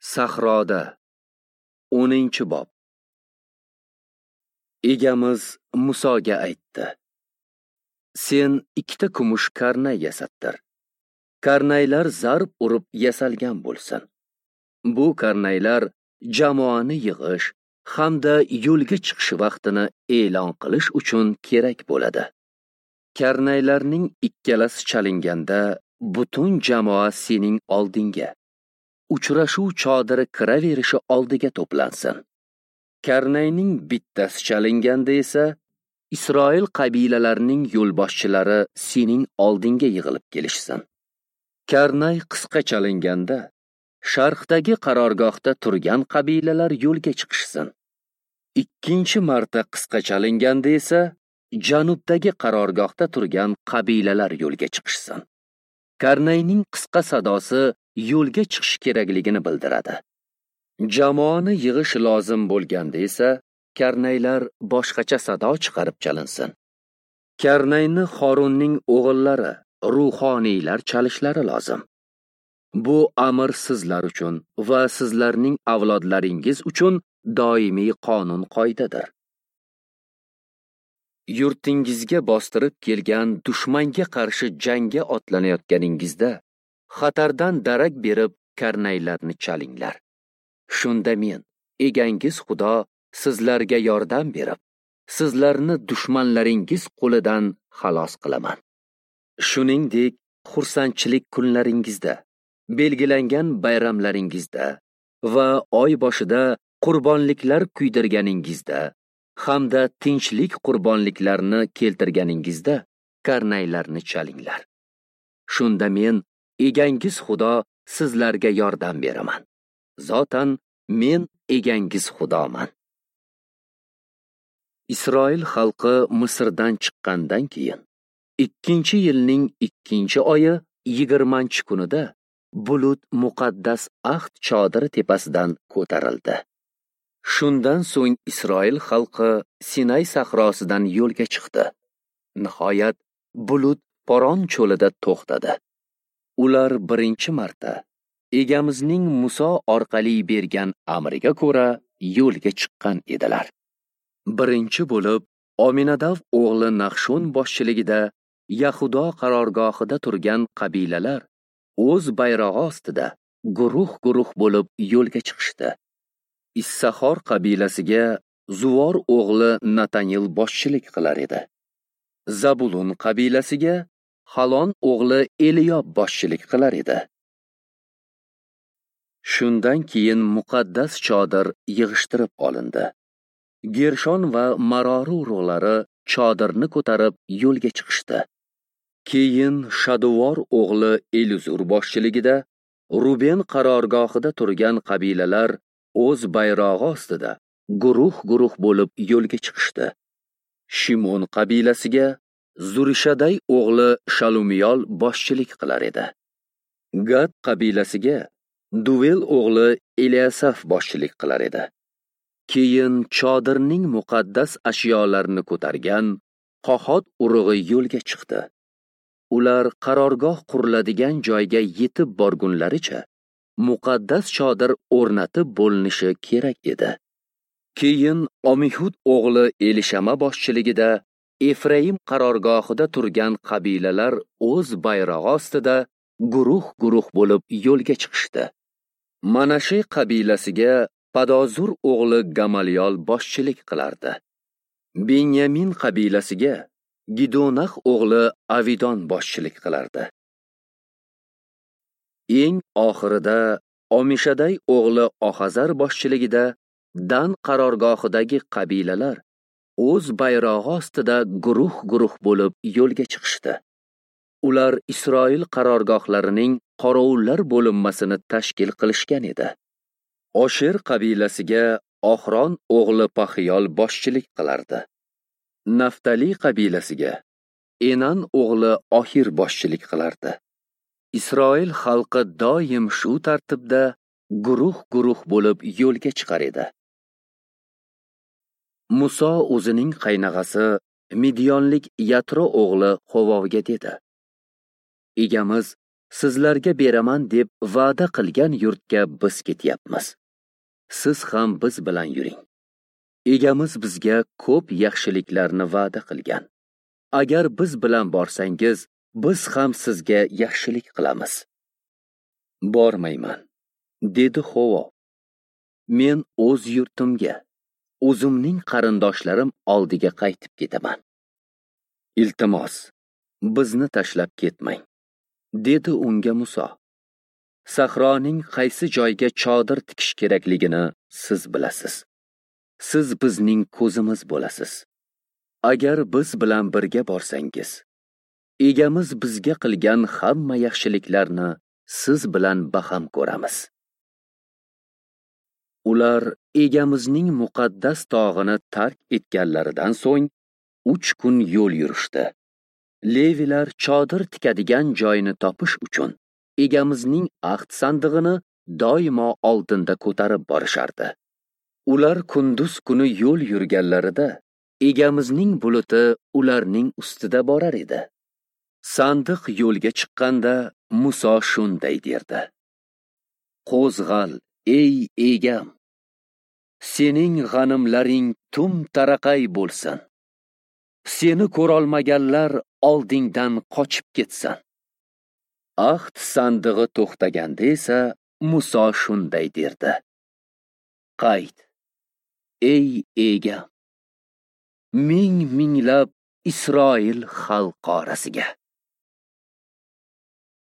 Sahroda 10-bob. Egamiz Musoga aytdi: Sen 2 kumush karnay yasattir. Karnaylar zarb urib yasalgan bo'lsin. Bu karnaylar jamoani yig'ish hamda yo'lga chiqish vaqtini e'lon qilish uchun kerak bo'ladi. Karnaylarning ikkalasi chalinganda butun jamoa sening oldingga, uchrashuv chodiri kiraverishi oldiga to'plansin. Karnayning bittasi chalinganda esa Isroil qabilalarining yo'lboshchilari sening oldingga yig'ilib kelishsin. Karnay qisqa chalinganda sharqdagi qarorgohda turgan qabilalar yo'lga chiqishsin. Ikkinchi marta qisqa chalinganda esa janubdagi qarorgohda turgan qabilalar yo'lga chiqishsin. Karnayning qisqa sadosi yo'lga chiqish kerakligini bildiradi. Jamoani yig'ish lozim bo'lganda esa karnaylar boshqacha sado chiqarib chalinsin. Karnayni Xorunning o'g'illari, ruhoniylar chalishlari lozim. Bu amr sizlar uchun va sizlarning avlodlaringiz uchun doimiy qonun qoidadir. Yurtingizga bostirib kelgan dushmanga qarshi jangga otlanayotganingizda xatardan darak berib karnaylarni chalinglar. Shunda men, egangiz Xudo, sizlarga yordam berib, sizlarni dushmanlaringiz qo'lidan xalos qilaman. Shuningdek, xursandchilik kunlaringizda, belgilangan bayramlaringizda va oy boshida qurbonliklar kuydirganingizda hamda tinchlik qurbonliklarini keltirganingizda karnaylarni chalinglar. Shunda men, egangiz Xudo, sizlarga yordam beraman. Zotan men egangiz Xudoman. Isroil xalqi Misrdan chiqqandan keyin 2-yilning 2-oyi 20-kunida bulut muqaddas ahd chodiri tepasidan ko'tarildi. Shundan so'ng Isroil xalqi Sinay sahrosidan yo'lga chiqdi. Nihoyat bulut Poron cho'lida to'xtadi. Ular birinchi marta Egamizning Muso orqali bergan amriga ko'ra yo'lga chiqqan edilar. Birinchi bo'lib Ominadav o'g'li Nahshon boshchiligida Yahudo qarorgohida turgan qabilalar o'z bayrog'i ostida guruh-guruh bo'lib yo'lga chiqishdi. Issahor qabilasiga Zuvor o'g'li Natanil boshchilik qilar edi. Zabulun qabilasiga Halon o'g'li Eliyob boshchilik qilar edi. Shundan keyin muqaddas chodir yig'ishtirib olindi. Gershon va Marori urug'lari chodirni ko'tarib yo'lga chiqishdi. Keyin Shaduvor o'g'li Elizur boshchiligida Ruben qarorgohida turgan qabilalar o'z bayrog'i ostida guruh-guruh bo'lib yo'lga chiqishdi. Shimon qabilasiga Zurishaday o'g'li Shalumiyol boshchilik qilar edi. Gad qabilasiga Duvel o'g'li Eliasaf boshchilik qilar edi. Keyin chodirning muqaddas ashyolarini ko'targan Qohot urug'i yo'lga chiqdi. Ular qarorgoh quriladigan joyga yetib borgunlaricha muqaddas chodir o'rnatib bo'linishi kerak edi. Keyin Omihud o'g'li Elishama boshchiligida Efraim qarorgohida turgan qabilalar o'z bayrog'i ostida guruh-guruh bo'lib yo'lga chiqishdi. Manashe qabilasiga Padozur o'g'li Gamaliyol boshchilik qilardi. Benyamin qabilasiga Gidonax o'g'li Avidon boshchilik qilardi. Eng oxirida Omishaday o'g'li Ohazar boshchiligida Dan qarorgohidagi qabilalar o'z bayrog'i ostida guruh-guruh bo'lib yo'lga chiqishdi. Ular Isroil qarorgohlarining qorovullar bo'linmasini tashkil qilishgan edi. Osher qabilasiga Ohron o'g'li Pahiyol boshchilik qilardi. Naftali qabilasiga Enan o'g'li Ohir boshchilik qilardi. Isroil xalqi doim shu tartibda guruh-guruh bo'lib yo'lga chiqar edi. Muso o'zining qaynog'asi Midyonlik Yatro o'g'li Hovovga dedi: Egamiz sizlarga beraman deb va'da qilgan yurtga biz ketyapmiz. Siz ham biz bilan yuring. Egamiz bizga ko'p yaxshiliklarni va'da qilgan. Agar biz bilan borsangiz, biz ham sizga yaxshilik qilamiz. Bormayman, dedi Xovov. Men o'z yurtimga, o'zimning qarindoshlarim oldiga qaytib ketaman. Iltimos, bizni tashlab ketmang, dedi unga Muso. Sahroning qaysi joyga chodir tikish kerakligini siz bilasiz. Siz bizning ko'zimiz bo'lasiz. Agar biz bilan birga borsangiz, egamiz bizga qilgan hamma yaxshiliklarni siz bilan baham ko'ramiz. Ular egamizning muqaddas tog'ini tark etganlaridan so'ng 3 kun yo'l yurishdi. Levilar chodir tikadigan joyini topish uchun egamizning ahd sandig'ini doimo oldinda ko'tarib borishardi. Ular kunduz kuni yo'l yurganlarida egamizning buluti ularning ustida borar edi. Sandiq yo'lga chiqqanda Muso shunday derdi: Qo'zg'al, ey egam! Sening g'animlaring tum taraqay bo'lsin. Seni ko'rolmaganlar oldingdan qochib ketsin. Ahd sandig'i to'xtaganda esa Muso shunday derdi: Qayt, ey egam, ming minglab Isroil xalqi orasiga.